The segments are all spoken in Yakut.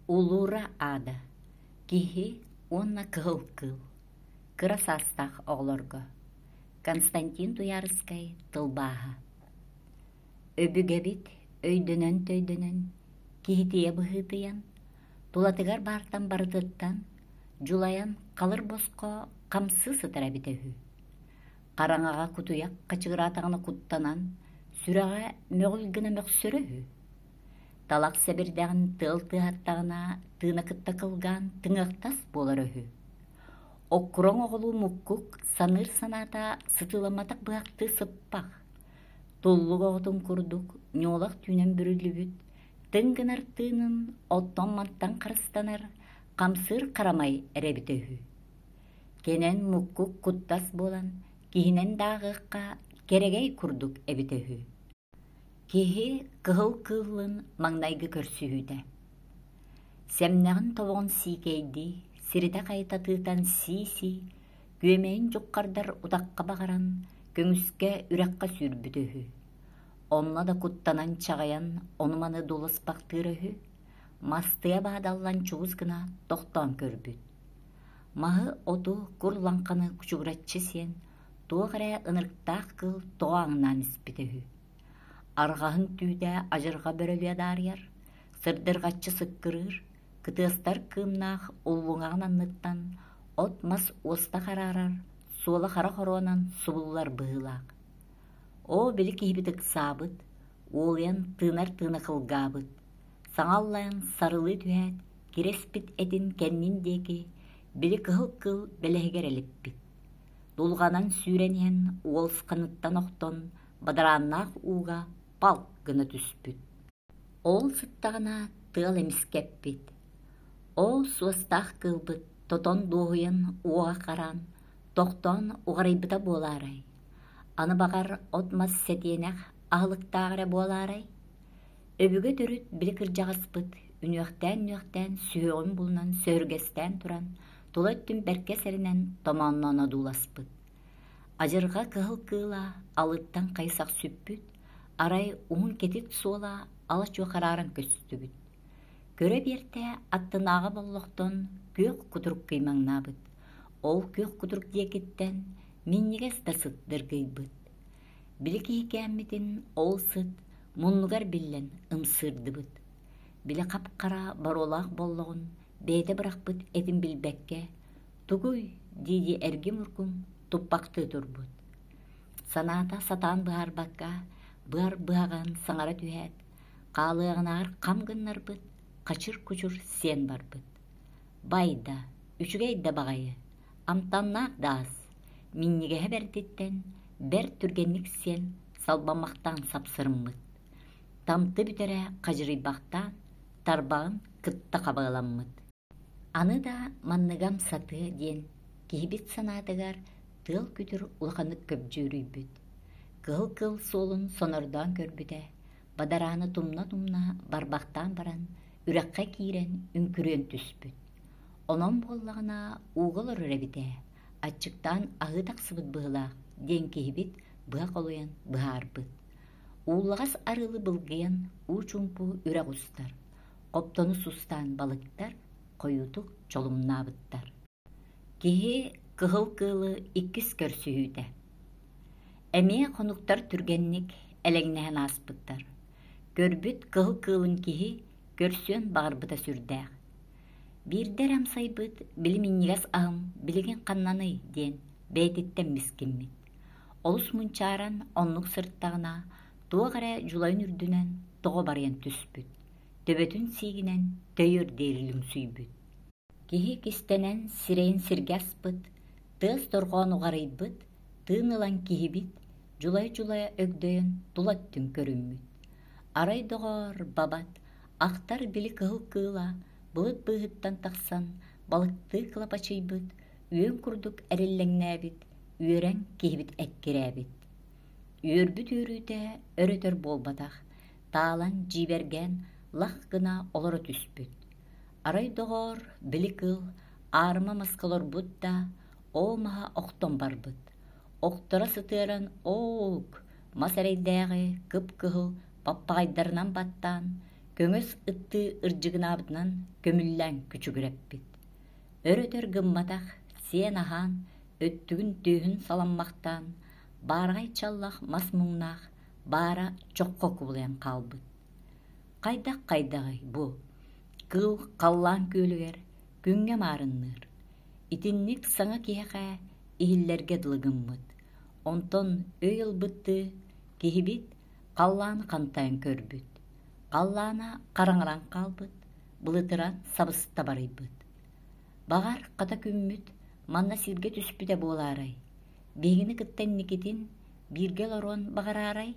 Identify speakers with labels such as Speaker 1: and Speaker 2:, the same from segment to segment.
Speaker 1: Улуура аада Киһи уонна кыһыл кыыл Кыра саастаах оҕолорго Константин Туйаарыскай тылбааһа Өбүгэбит өйдөнөн-төйдөнөн, киһитийэ быһыытыйан, тулатыгар баартан барытыттан дьулайан халыр босхо хамсыы сытар эбитэ үһү. Хараҥаҕа кутуйах хачыгыраатаҕына куттанан, сүрэҕэ мөҕүл гына мөхсөрө үһү. Талах сэбирдэҕин тыал тыаһаттаҕына тыына кытта кылгаан тыҥыахтас буолара үһү. Оккуроҥ оҕолуу муккук саныыр санаата сытыыламматах быһахтыы сыппах. Туллук оҕотун курдук ньуолах түүнэн бүрүллүбүт, тыҥ гынар тыынын оттон-мантан харыстанар хамсыыр харамай эрэ эбитэ үһү. Кэнэн муккук куттас буолан киһинэн да ааҕыахха кэрэгэй курдук эбитэ үһү. Киһи кыһыл кыыллын маҥнайгы көрсүһүүтэ. Сэмнэҕин тобоҕун сиикэйдии, сиритэ-хайыта тыытан сии-сии, күөмэйин дьуххардар утахха баҕаран, көҥүскэ үрэххэ сүүрбүтэ үһү. Онно да куттанан чаҕыйан ону-маны дуласпахтыыра үһү, мастыйа баадаллан чугус гына тохтоон көрбүт. Маһы-оту кур лаҥханы кучугураччы сиэн, туох эрэ ынырыктаах кыыл тоҕо ааҥнаан испитэ үһү. Арҕаһын түүтэ адьырҕа бөрөлүө адаарыйар, сырдырҕаччы сыккырыыр, кытыастар кыымнаах уллуҥаҕын анныттан от-мас уоста хараарар, суола хара хоруонан субуллар быһыылаах. Оо, били киһибит ыксаабыт, уолуйан тыынар тыына кылгаабыт, саҥа аллайан сарылыы түһээт, кирэспит этин кэннин диэки били кыһыл кыыл бэлэһигэр элиппит. Дулҕанан сүүрэн иһэн уолсханыттан охтон бадарааннаах ууга палк гына түспүт. Ол сыттаҕына тыал эмискэппит. Ол суостаах кыылбыт тотон дуоһуйан уоҕа хараан, тохтоон уҕарыйбыта буолаарай? Аны баҕар от-мас сэтиэнэх аһылыктаах эрэ буолаарай? Өбүгэ төрүт били кырдьаҕаспыт үнүөхтээн-үнүөхтээн сүһүөҕүн булунан сөһүргэстээн туран тула өттүн бэркэ сэрэнэн томоонноон одууласпыт. Адьырҕа кыһыл кыыла алыттан хайсах сүппүт, арай уһун кэтит суола ала-чуо харааран көстүбүт. Көрө биэртэ аттынааҕы боллохтон күөх кутурук кыймаҥнаабыт. Ол күөх кутурук диэкиттэн минньигэс да сыт дыргыйбыт. Били киһикээммитин ол сыт муннугар биллэн ымсыырдыбыт. Били хап-хара боруолаах боллоҕун бэйэтэ бырахпыт этин билбэккэ, «Тугуй?» дии-дии эргим-ургум туппахтыы турбут. Санаата сатаан быһаарбакка, быар быһаҕын саҥара түһээт, хаалыаҕынааҕар хам гыннарбыт, хачыр-кучур сиэн барбыт. Байда, үчүгэй да баҕайы, амтаннаах да ас, минньигэһэ бэрдиттэн бэрт түргэнник сиэн салбаммахтаан сапсырыммыт. Тамты бүтэрэ хадьырыйбахтаан, тарбаҕын кытта хабыаламмыт. Аны да манныгам сатыа диэн киһибит санаатыгар тыал күтүр улаханнык көбдьүөрүйбүт. Кыһыл кыыл суолун сонордоон көрбүтэ, бадарааны тумна-тумна барбахтаан баран үрэххэ киирэн үҥкүрүөн түспүт. Онон буоллаҕына ууга олорор эбит ээ, аччыктаан аһыы тахсыбыт быһыылаах диэн киһибит быһа холуйан быһаарбыт. Ууллаҕас арыылы былгыйан уу чуумпу үрэх устар, хоптону сустаан балыктар хойуутук чолумнаабыттар. Киһи кыһыл кыылы иккис көрсүһүүтэ. Эмиэ хонуктар түргэнник элэҥнэһэн ааспыттар. Көрбүт кыһыл кыылын киһи көрсүөн баҕарбыта сүрдээх. Биирдэ эрэ амсайбыт били минньигэс аһым билигин ханнаный диэн бэйэтиттэн мискиммит. Олус мунчааран оннук сырыттаҕына туох эрэ дьулайын үрдүнэн тоҕо барыйан түспүт, төбөтүн сиигинэн төйөр диэри лүҥсүйбүт. Киһи кистэнэн сирэйин сиргэ аспыт, тыас дорҕоон уҕарыйбыт, тыын ылан киһибит дьулайа-дьулайа өгдөйөн тула өттүн көрүммүт. Арай доҕоор, бабат, ахтар били кыһыл кыыла былыт быыһыттан тахсан балыктыы кылапачыйбыт, үөн курдук эриллэҥнээбит, үөрэн киһибит эккирээбит. Үөрбүт үөрүүтэ өр-өтөр буолбатах, таалан дьиибэргээн лах гына олоро түспүт. Арай доҕоор, били кыыл аарыма маска олорбут да, оо маһа охтон барбыт. Охторо сытыаран ооук, мас эрэйдээҕи кып-кыһыл паппаҕайдарынан баттаан, Көҥөс ыттыы ырдьыгынаабытынан көмүллээн күчүгүрэппит. Өр-өтөр гымматах, сиэн-аһаан, өттүгүн түөһүн саламмахтаан, баараҕай чаллах мас муҥнаах баара чоххо кубулуйан хаалбыт. Хайдах-хайдаҕый бу? Кыыл халлаан күөлүгэр күҥҥэ маарынныыр. Итинник саҥа киһиэхэ иһиллэргэ дылы гыммыт. Онтон өй ылбыттыы киһибит халлааны хантайан көрбүт. Халлаана хараҥаран хаалбыт, былытыран сабыста барыйбыт. Баҕар, хата күммүт манна сиргэ түспүтэ буолаарай? Биһигини кытта инникитин бииргэ олоруон баҕараарай?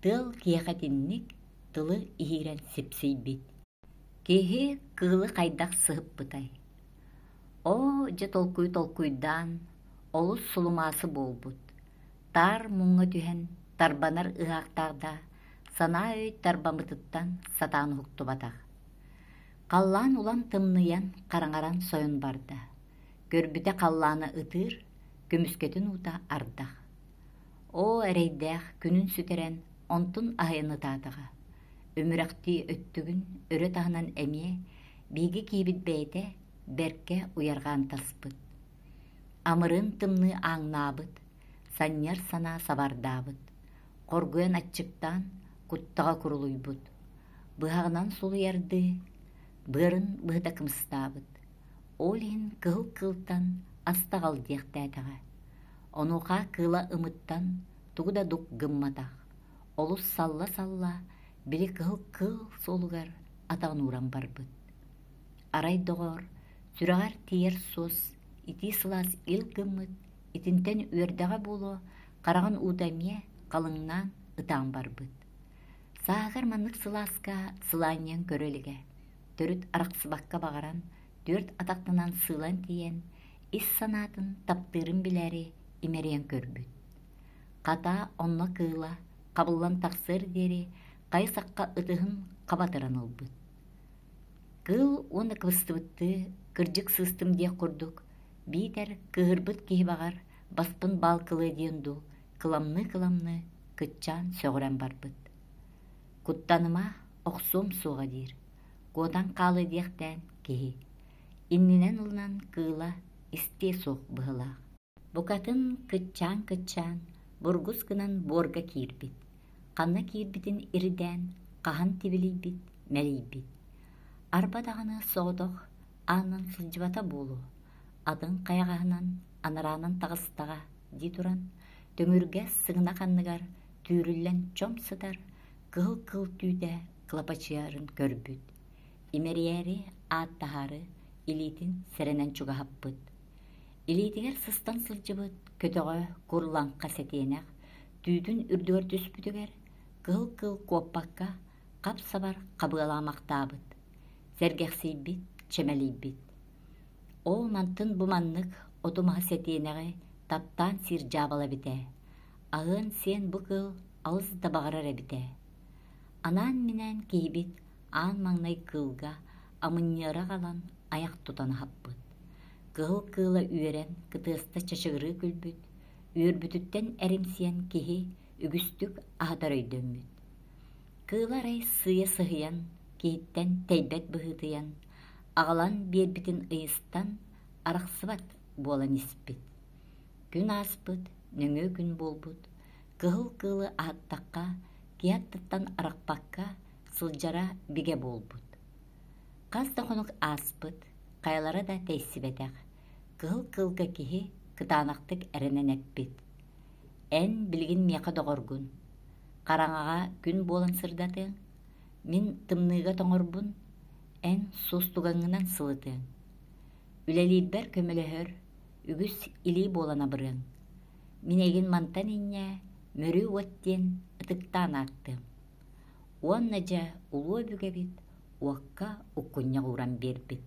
Speaker 1: Тыал киһиэхэ итинник тылы иһиирэн сипсийбит. Киһи кыылы хайдах сыһыппытай? Оо, дьэ толкуй толкуйдаан, олус сулумаасы буолбут. Таар муҥҥа түһэн тарбанар ыһаахтаах да, санаа өй тарбаммытыттан сатаан уһуктубатах. Халлаан улам тымныйан, хараҥаран сойон барда. Көрбүтэ халлаана ытыыр, көмүскэтин уута ардах. Оо, эрэйдээх күнүн сүтэрэн, онтун аһыйан ытаатаҕа. Өмүрэхтии өттүгүн өрө таһынан эмиэ биһиги киһибит бэйэтэ бэркэ уйарҕаан таспыт. Амырыын тымныы ааҥнаабыт, санньыар санаа сабардаабыт, хоргуйан аччыктаан куттаҕа курулуйбут, быһаҕынан сулуйардыы быарын быһыта кымыстаабыт. Ол иһин кыһыл кыылтан астаҕал диэхтээтэҕэ. Онуоха кыыла ымыттан тугу да дук гымматах, олус салла-салла били кыһыл кыыл суолугар атаҕын ууран барбыт. Арай доҕоор, сүрэҕэр тиийэр суос, итии сылаас ил гыммыт, итинтэн үөрдэҕэ буолуо, хараҕын уута эмиэ халыҥнаан ытаан барбыт. Сааһыгар маннык сылааска сылаанньыйан көрө илигэ, төрүт арахсыбакка баҕаран, түөрт атахтанан сыылан тиийэн, ис санаатын таптыырын билээри имэрийэн көрбүт. Хата онно кыыла хабыллан тахсыар диэри хайы-сахха ытыһын хабатыран ылбыт. Кыыл уонна кыбыстыбыттыы кырдьык сыыстым диэх курдук, биитэр кыыһырбыт киһи баҕар баспын баалкылыа диэн дуу, кыламныы-кыламныы кыччаан сөҕүрэн барбыт. Куттаныма, охсуом суоҕа диир, куотан хаалыа диэхтээн киһи. Иннинэн ылынан кыыла истиэ суох быһыылаах. Букатын кыччаан-кыччаан, бургус гынан буорга киирбит. Ханна киирбитин ирдээн, хаһан тибилийбит, мэлийбит. Арба даҕаны соҕотох аанынан сылдьыбата буолуо, атын хайаҕаһынан анараанан таҕыстаҕа дии туран, төҥүргэс сыгынах анныгар түүрүллэн чом сытар кыһыл кыл түүтэ кылапачыйарын көрбүт. Имэрийээри, ааттаһаары илиитин сэрэнэн чугаһаппыт. Илиитигэр сыстан сылдьыбыт көтөҕө кур лаҥха сэтиэнэх түүтүн үрдүгэр түспүтүгэр кыһыл кыыл куоппакка хап-сабар хабыалаамахтаабыт, сэргэхсийбит, чэмэлийбит. Оо, мантын бу маннык оту-маһы сэтиэнэҕи таптаан сиир дьаабала эбит ээ. Аһыан-сиэн бу кыыл алыс да баҕарар эбит ээ. Анаан-минээн киһибит аан маҥнай кыылга амынньыара аҕалан айах тутан аһаппыт. Кыһыл кыыла үөрэн, кытыаста чачыгырыы күлбүт, үөрбүтүттэн эримсийэн киһи үгүстүк аһатар өйдөммүт. Кыыла арай сыыйа сыһыйан, киһиттэн тэйбэт быһыытыйан, аҕалан биэрбитин ыйыстан, арахсыбат буолан испит. Күн ааспыт, нөҥүө күн буолбут, кыһыл кыылы аһаттахха, киһи аттыттан арахпакка сылдьара бигэ буолбут. Хас да хонук ааспыт, хайалара да тэйсибэтэх, кыһыл кыылга киһи кытаанахтык эрэнэн эппит: «Эн билигин миэхэ доҕоргун, хараҥаҕа күн буолан сырдатыаҥ, мин тымныыга тоҥорбун, эн суостугаҥҥынан сылытыаҥ. Үлэлиирбэр көмөлөһөр, үгүс илии буолан абырыаҥ. Мин эйигин мантан инньэ Мөрүү уот диэн ытыктаан ааттыам. Уонна дьэ улуу өбүгэбит уокка уккунньах ууран биэрбит.